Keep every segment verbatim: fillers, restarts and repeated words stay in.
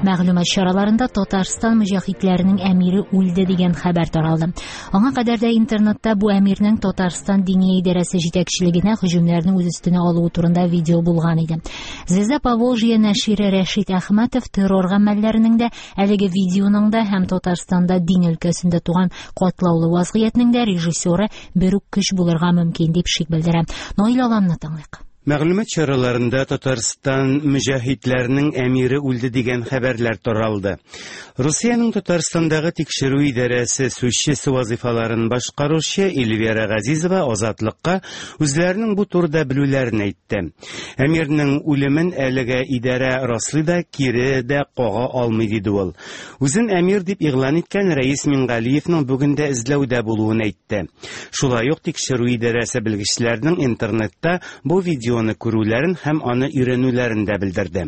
Мәгълүмат чараларында Татарстан мөҗаһидләренең әмире үлде дигән хәбәр таралды. Аңа кадәр дә интернетта бу әмирнең Татарстан Диния идарәсе җитәкчелегенә һөҗүмнәрне үз өстенә алуы турында видео булган иде. Звезда Поволжья нәшире Рәшит Әхмәтов террор гамәлләренең дә, әлеге видеоның да һәм Татарстанда дин өлкәсендә туган катлаулы вазгыятьнең дә режиссеры бер үк көч булырга мөмкин дип шик белдерә. Наил Аланны тыңлыйк. Мәгълүмат чараларында Татарстан мөҗаһидләренең әмире үлде дигән хәбәрләр таралды. Русиянең Татарстандагы тикшерү идарәсе сүзчесе вазифаларын башкаручы Эльвира Газизова Азатлыкка үзләренең бу турыда белүләрен әйтте. Әмирнең үлемен әлегә идарә раслый да, кире дә кага алмый диде ул. Үзен әмир дип игълан иткән Рәис Мингалиевның бүген дә эзләүдә булуын әйтте. Шулай ук тикшерү идарәсе белгечләренең интернетта бу видео күрүләрен һәм аны өйрәнүләрен дә белдерде.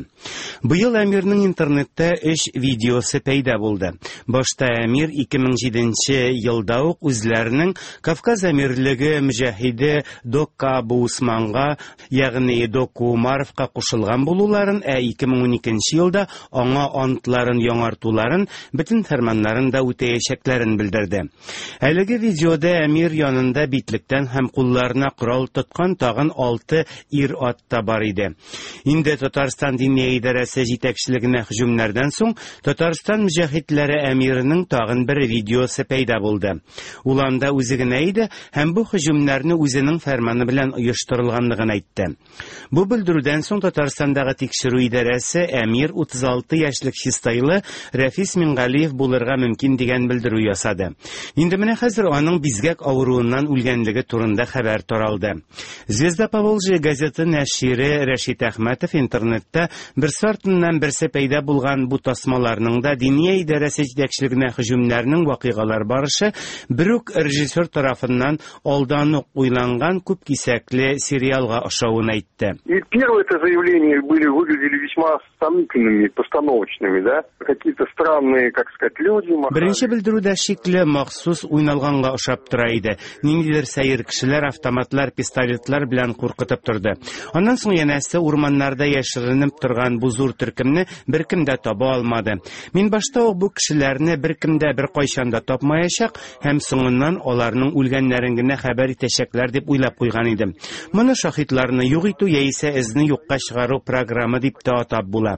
Быел әмирнең интернетта өч видеосы пәйда булды. Башта әмир ике мең җиденче елда ук үзләренең Кавказ әмирлеге мөҗаһиде Докка Абу Усманга, ягъни Доку Умаровка кушылган булуларын, ә ике мең уникенче елда аңа антларын яңартуларын, бөтен фәрманнарын да үтәячәкләрен белдерде. Әлеге видеода әмир янында битлектән һәм кулларына корал тоткан тагын алты ир-ат та бар иде. Инде Татарстан Диния идарәсе җитәкчелегенә һөҗүмнәрдән соң Татарстан мөҗаһидләре әмиренең тагын бер видеосы пәйда булды. Ул анда үзе генә иде һәм бу һөҗүмнәрне үзенең фәрманы белән оештырылганлыгын әйтте. Бу белдерүдән соң Татарстандагы тикшерү идарәсе әмир утыз алты яшьлек чистайлы Рәфис Мингалиев булырга мөмкин дигән белдерү ясады. Инде менә хәзер аның бизгәк авыруыннан үлгәнлеге турында хәбәр таралды. Звезда Поволжья газеты нәшире Рәшит Әхмәтов интернетта берсе артыннан берсе пәйда булган бу тасмаларның да Диния идарәсе җитәкчелегенә һөҗүмнәрнең вакыйгалар барышы бер үк режиссер тарафыннан алдан ук уйланган күп кисәкле сериалга ошавын әйтте. И первые это заявления были, выглядели весьма сомнительными, постановочными, да? Какие-то странные, как сказать, люди махали. Беренче белдерүдә шикле махсус уйналганга ошап тора иде. Ниндидер сәер кешеләр автоматлар, пистолетлар белән куркытып торды. Аннан соң янәсе урманнарда яшеренеп торган бу зур төркемне беркем дә таба алмады. Мин башта ук бу кешеләрне беркем дә беркайчан да тапмаячак һәм соңыннан аларның үлгәннәрен генә хәбәр итәчәкләр дип уйлап куйган идем. Моны шаһитларны юк итү яисә эзне юкка чыгару программы дип тә атап була.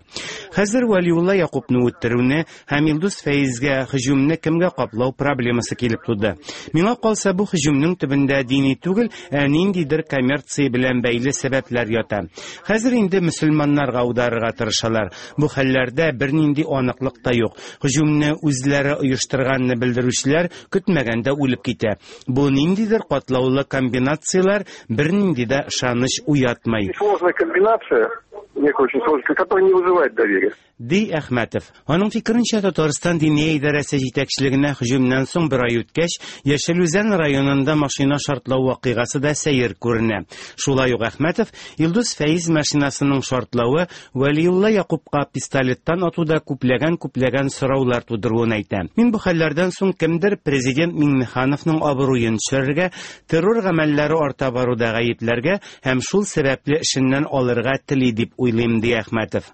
Хәзер Вәлиулла Якупны үтерүне һәм Илдус Фәизгә һөҗүмне кемгә каплау проблемасы килеп туды. Миңа калса, бу һөҗүмнең төбендә дини түгел, ә ниндидер коммерция белән бәйле сәбәпләр ята. Хәзер инде мөселманнарга аударырга тырышалар. Бу хәлләрдә бернинди аныклык та юк. Һөҗүмне үзләре оештырганны белдерүчеләр көтмәгәндә үлеп китә. Бу ниндидер катлаулы комбинацияләр бернинди дә ышаныч уятмый. Сложная комбинация, некая очень сложная, которая не вызывает доверия. Ди Әхмәтов. Аның фикеренчә, Татарстан Диния идарәсе җитәкчелегенә һөҗүмнән соң бер ай үткәч, Яшел Үзән районында машина шартлау вакыйгасы да сәер күренә. Шулай ук Әхмәтов Илдус Фәиз машинасының шартлавы Вәлиулла Якупка пистолеттан атуда күпләгән-күпләгән сораулар тудыруын әйтә. Мин бу хәлләрдән соң кемдер президент Миңнехановның абруен төшерергә, террор гамәлләре арта баруда гаепләргә һәм шул сәбәпле эшеннән алырга тели дип уйлыйм, ди Әхмәтов.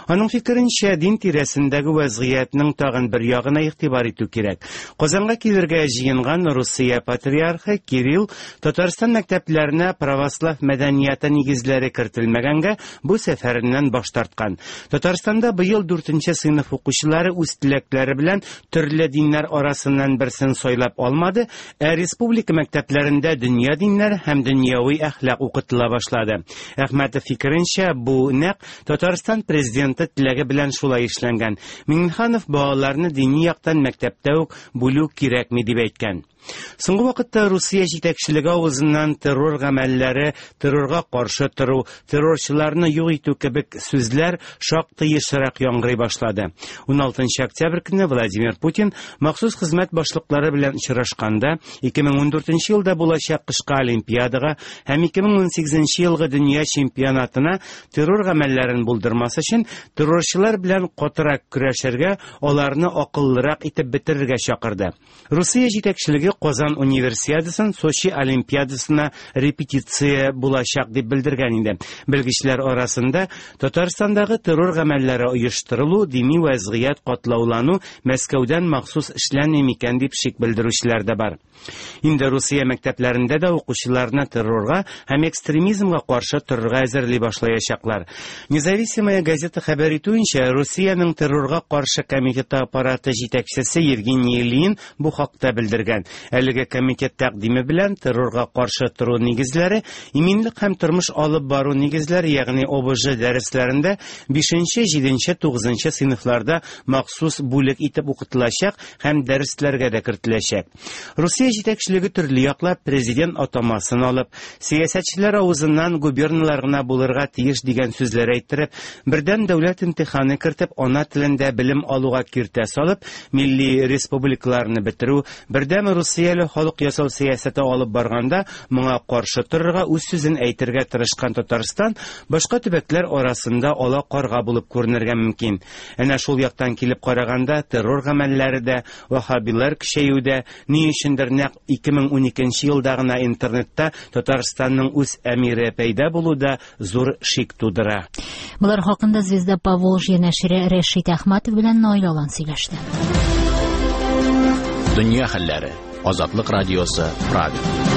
Аның фикеренчә, дин тирәсендәге вазгыятьнең тагын бер ягына игътибар итү кирәк. Казанга килергә җыенган Русия патриархы Кирилл Татарстан мәктәпләренә православ мәдәнияте нигезләре кертелмәгәнгә бу сәфәреннән баш тарткан. Татарстанда быел дүртенче сыйныф укучылары үз теләкләре белән төрле диннәр арасыннан берсен сайлап алмады, ә республика мәктәпләрендә дөнья диннәре һәм дөньяви әхлак укытыла башлады. Әхмәтов фикеренчә, бу нәкъ Татарстан президенты теләге белән шулай эшләнгән. Миңнеханов балаларны дини яктан мәктәптә үк бүлү кирәкми дип әйткән. Соңгы вакытта Русия җитәкчелеге авызыннан террор гамәлләре, террорга каршы тору, террорчыларны юк итү кебек сүзләр шактый ешрак яңгырый башлады. Уналтынчы октябрь көнне Владимир Путин махсус хезмәт башлыклары белән очрашканда ике мең ундүртенче елда булачак кышкы олимпиадага һәм ике мең унсигезенче елгы дөнья чемпионатына террор гамәлләрен булдырмас өчен террорчылар белән катырак көрәшергә, аларны акыллырак итеп бетерергә чакырды. Русия җитәкчелеге Казан Универсиадасын Сочи Олимпиадасына репетиция булачак дип белдергән иде. Белгечләр арасында Татарстандагы террор гамәлләре оештырылу, дини вәзгыять катлаулану Мәскәүдән махсус эшләнми микән дип шик белдерүчеләр дә бар. Инде Русия мәктәпләрендә дә укучыларны террорга һәм экстремизмга каршы торырга әзерли башлаячаклар. Независимая газета хәбәр итүенчә, Русиянең террорга каршы комитеты аппараты җитәкчесе Евгений Ильин бу хакта белдергән. Әлеге комитет тәкъдиме белән террорга каршы тору нигезләре, иминлек һәм тормыш алып бару нигезләре, ягъни О Б Ж дәресләрендә бишенче, җиденче, тугызынчы сыйныфларда махсус бүлек итеп укытылачак һәм дәресләргә дә кертеләчәк. Русия җитәкчелеге төрле яклап президент атамасын алып, сәясәтчеләр авызыннан губерналар гына булырга тиеш дигән сүзләр әйттереп, бердәм дәүләт имтиханы кертеп, ана телендә белем алуга киртә салып, милли республикаларны бетерү, бердәм русияле халык ясау сәясәте алып барганда, моңа каршы торырга, үз сүзен әйтергә тырышкан Татарстан башка төбәкләр арасында ала карга булып күренергә мөмкин. Әнә шул яктан килеп караганда, террор гамәлләре дә, ваһһабилар көчәю дә, ни өчендер нәкъ ике мең уникенче елда гына интернетта Татарстанның үз әмире пәйда булу да зур шик тудыра. Болар хакында «Звезда Поволжья» нәшире Рәшит Әхмәтов белән Наил Алан сөйләште. Дөнья хәлләре. Азатлык радиосы, Прага.